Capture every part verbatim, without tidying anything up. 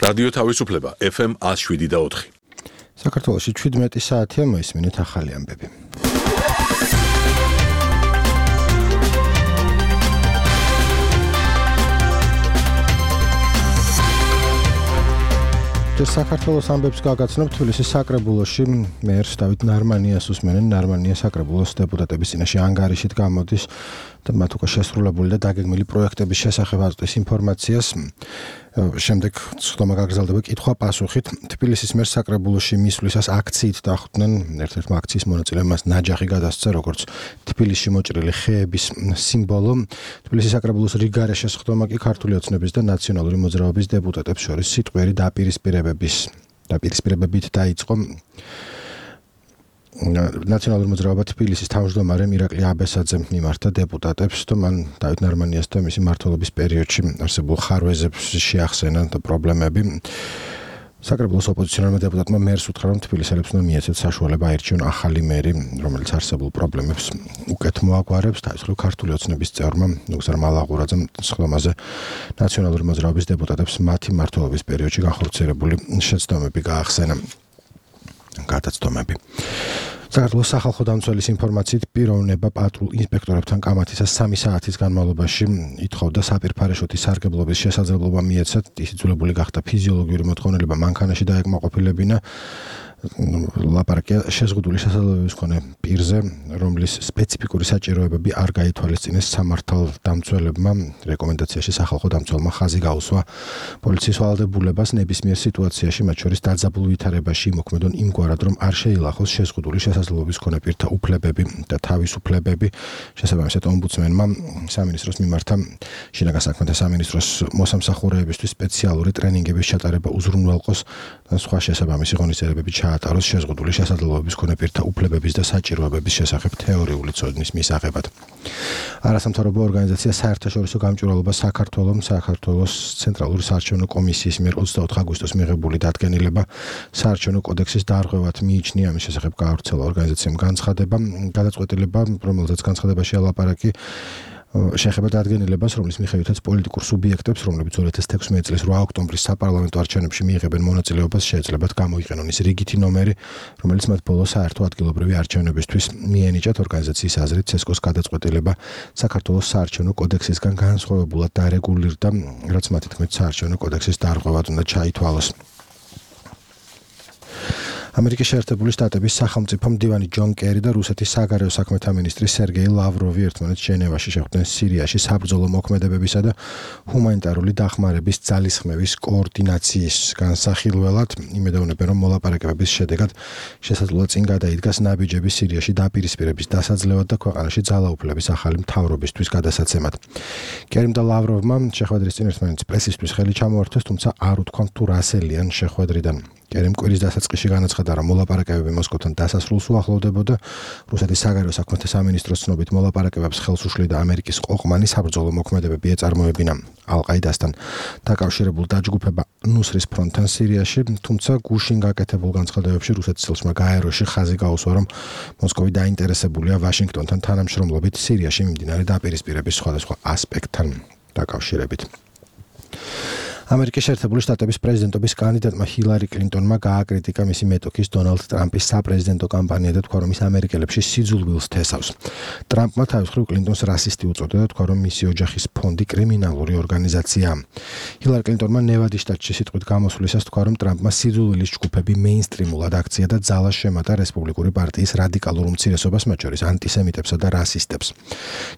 რადიო თავისუფლება ეფ ემ one oh seven და four. საქართველოში შვიდმეტი საათია მოისმინეთ ახალი ამბები. საქართველოს ამბებს გაგაცნობ თბილისის საკრებულოში მერს დავით ნარმანიას უსმენენ. ნარმანია საკრებულოს დეპუტატების წინაშე ანგარიშით გამოდის და მათ უკვე შესრულებული და დაგეგმილი პროექტების შესახებ აწვდის ინფორმაციას. შემდეგ სხდომა გაგრძელდება კითხვა-პასუხით. თბილისის მერს საკრებულოში მისვლისას აქციით დახვდნენ. ერთ-ერთმა აქციის მონაწილემ მას ნაჯახი გადასცა, როგორც თბილისში მოჭრილი ხეების სიმბოლო. თბილისის საკრებულოს რიგარეშე სხდომა კი ქართული ოცნების და ნაციონალური მოძრაობის დეპუტატებს შორის სიტყვიერი დაპირისპირებების დაპირისპირებებით დაიწყო. ნაციონალური მოძრაობა თბილისის თავმჯდომარემ ირაკლი აბესაძემ მიმართა დეპუტატებს და მან დავით ნარმანიას და მისი მმართველობის პერიოდში არსებულ ხარვეზებს შეახსენა და პრობლემები. საკრებულოს ოპოზიციონერმა დეპუტატმა მერს უთხრა, რომ თბილისელებს უნდა მიეცეთ საშუალება აირჩიონ ახალი მერი, რომელიც არსებულ პრობლემებს უკეთ მოაგვარებს. თავისუფლ ქართული ოცნების წევრმა ნუგზარ მალაღურაძემ სხდომაზე ნაციონალური მოძრაობის დეპუტატებს მათი მმართველობის პერიოდში განხორციელებული შეცდომები გაახსენა. გადაცდომები. საქართველოს სახალხო დამცველის ინფორმაციით პიროვნება პატრულ ინსპექტორებთან კამათისას სამი საათის განმავლობაში ითხოვდა საპირფარეშოთის სარგებლობის შესაძლებლობა მიეცათ. ის იძულებული გახდა ფიზიოლოგიური მოთხოვნილება მანქანაში დაეკმაყოფილებინა. ლაპარაკია შეზღუდული შესაძლებლობის მქონე პირზე, რომლის სპეციფიკური საჭიროებები არ გაითვალისწინეს სამართალ დამცველებმა. რეკომენდაციაში სახალხო დამცველმა ხაზი გაუსვა პოლიციის ვალდებულებას ნებისმიერ სიტუაციაში, მათ შორის დაძაბულ ვითარებაში იმოქმედონ იმგვარად, რომ არ შეილახოს შეზღუდული შესაძლებლობის მქონე პირთა უფლებები და თავისუფლებები. შესაბამისად, ომბუდსმენმა სამინისტროს მიმართა შინაგან საქმეთა სამინისტროს მოსამსახურეებისთვის სპეციალური ტრენინგების ჩატარება უზრუნველყოს და სხვა შესაბამისი ღონისძიებები ჩაატაროს შეზღუდული შესაძლებლობების მქონე პირთა უფლებების და საჭიროებების შესახებ თეორიული ცოდნის მისაღებად. არასამთავრობო ორგანიზაცია საერთაშორისო გამჭვირვალობა საქართველომ საქართველოს ცენტრალური საარჩევნო კომისიის მიერ ოცდაოთხ აგვისტოს მიღებული დადგენილება საარჩევნო კოდექსის დარღვევად მიიჩნია. ამის შესახებ გაავრცელა ორგანიზაციამ განცხადება. გადაწყვეტილება, რომელზეც განცხადებაში ალაპარაკი შეეხება დადგენილებას, რომლის მიხედვითაც პოლიტიკურ სუბიექტებს, რომლებიც two thousand sixteen წლის eight ოქტომბრის საპარლამენტო არჩევნებში მიიღებენ მონაწილეობას, შეეძლებათ გამოიყენონ ის რიგითი ნომერი, რომელიც მათ ბოლო საერთო ადგილობრივი არჩევნებისთვის მიენიჭათ. ორგანიზაციის აზრით, ცესკოს გადაწყვეტილება საქართველოს საარჩევნო კოდექსისგან განსხვავებულად დარეგულირდა, რაც მათი თქმით საარჩევნო კოდექსის დარღვევად უნდა ჩაითვალოს. ამერიკის შეერთებული შტატების სახელმწიფო მდივანი ჯონ კერი და რუსეთის საგარეო საქმეთა მინისტრი სერგეი ლავროვი ერთმანეთს ჟენევაში შეხვდნენ სირიაში საბრძოლო მოქმედებებისა და ჰუმანიტარული დახმარების ძალისხმევის კოორდინაციის განსახილველად. იმედოვნებენ, რომ მოლაპარაკებების შედეგად შესაძლოა წინ გადაიდგას ნაბიჯები სირიაში დაპირისპირების დასაძლევად და ქვეყანაში ძალაუფლების ახალი მთავრობისთვის გადასაცემად. კერიმ და ლავროვმა შეხვედრის წინ ერთმანეთის პრესისთვის ხელი ჩამოართვეს, თუმცა არ უთქვამთ თუ რა სელიან შეხვედრიდან. კერიმ კვირის დასაწყისში განაცხადა, რომ მოლაპარაკებები მოსკოვთან დასასრულს უახლოვდებოდა. რუსეთის საგარეო საქმეთა სამინისტროს ცნობით მოლაპარაკებებს ხელს უშლიდა ამერიკის ყოყმანი საბრძოლო მოქმედებები ეწარმოებინა ალ-ყაიდასთან დაკავშირებულ დაჯგუფება ნუსრის ფრონტთან სირიაში, თუმცა გუშინ გაკეთებულ განცხადებებში რუსეთის ელჩმა გაეროში ხაზი გაუსვა, რომ მოსკოვი დაინტერესებულია ვაშინგტონთან თანამშრომლობით სირიაში მიმდინარე დაპირისპირების სხვადასხვა ასპექტთან დაკავშირებით. ამერიკის შეერთებული შტატების პრეზიდენტობის კანდიდატმა ჰილარი კლინტონმა გააკრიტიკა მისი მეტოქის დონალდ ტრამპის საპრეზიდენტო კამპანია და თქვა, რომ ის ამერიკელებში სიძულვილს თესავს. ტრამპმა თავისუფლ კლინტონს რასისტი უწოდა და თქვა, რომ მისი ოჯახის ფონდი კრიმინალური ორგანიზაციაა. ჰილარი კლინტონმა ნევადის შტატში სიტყვით გამოსვლისას თქვა, რომ ტრამპმა სიძულვილის ჯგუფები მეინსტრიმულად აქცია და ძალას შემატა რესპუბლიკური პარტიის რადიკალურ უმცირესობას, მათ შორის ანტისემიტებსა და რასისტებს.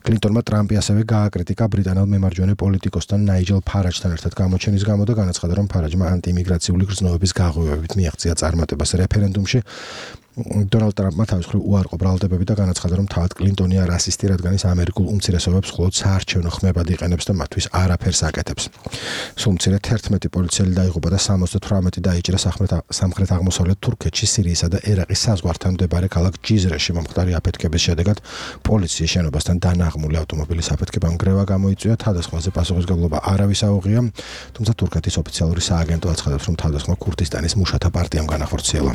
კლინტონმა ტრამპი ასევე გააკრიტიკა ბრიტანელ მემარჯვენე პოლიტიკოსთან ნაიჯელ ფარაჯთან ერთად გამოჩენის გამო და განაცხადა, რომ ფარაჯმა ანტიიმიგრაციული გრძნობების გაღვივებით მიაღწია წარმატებას რეფერენდუმში. დონალდ ტრამპმა თავისუფლ უარყო ბრალდებები და განაცხადა, რომ თავად კლინტონია რასისტი, რადგან ის ამერიკულ უმცირესობებს მხოლოდ საარჩევნო ხმებად იყენებს და მათთვის არაფერს აკეთებს. სულ მცირე თერთმეტი პოლიციელი დაიღუპა და სამოცდათვრამეტი დაიჭრა სამხრეთ აღმოსავლეთ თურქეთში, სირიისა და ერაყის საზღვართან მდებარე ქალაქ ჯიზრეში მომხდარი აფეთქების შედეგად პოლიციის შენობასთან დანაღმული ავტომობილის აფეთქებამ გრევა გამოიწვია. თავდასხმაზე პასუხისმგებლობა არავის აუღია, თუმცა თურქეთის ოფიციალური სააგენტო აცხადებს, რომ თავდასხმა ქურთისტანის მუშათა პარტიამ განახორციელა.